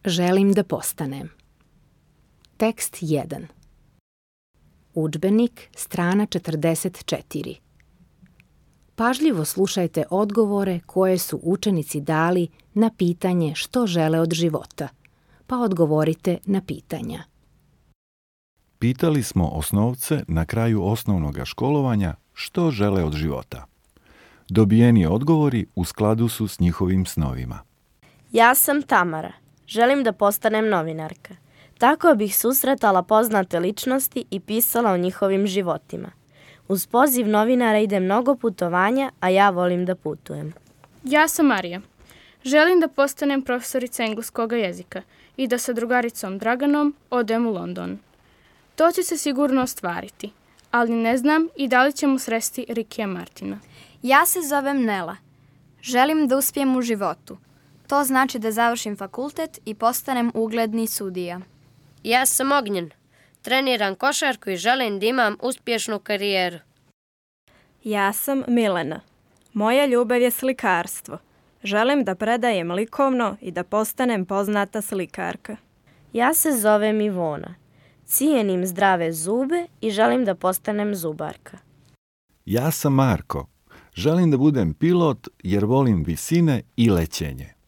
Želim da postanem. Tekst 1. Udžbenik, strana 44. Pažljivo slušajte odgovore koje su učenici dali na pitanje što žele od života, pa odgovorite na pitanja. Pitali smo osnovce na kraju osnovnog školovanja što žele od života. Dobijeni odgovori u skladu su s njihovim snovima. Ja sam Tamara. Želim da postanem novinarka. Tako bih susretala poznate ličnosti i pisala o njihovim životima. Uz poziv novinara ide mnogo putovanja, a ja volim da putujem. Ja sam Marija. Želim da postanem profesorica engleskog jezika i da sa drugaricom Draganom odem u London. To će se sigurno ostvariti, ali ne znam i da li ćemo sresti Rikija Martina. Ja se zovem Nela. Želim da uspijem u životu. To znači da završim fakultet i postanem ugledni sudija. Ja sam Ognjen. Treniram košarku i želim da imam uspješnu karijeru. Ja sam Milena. Moja ljubav je slikarstvo. Želim da predajem likovno i da postanem poznata slikarka. Ja se zovem Ivona. Cijenim zdrave zube i želim da postanem zubarka. Ja sam Marko. Želim da budem pilot jer volim visine i lećenje.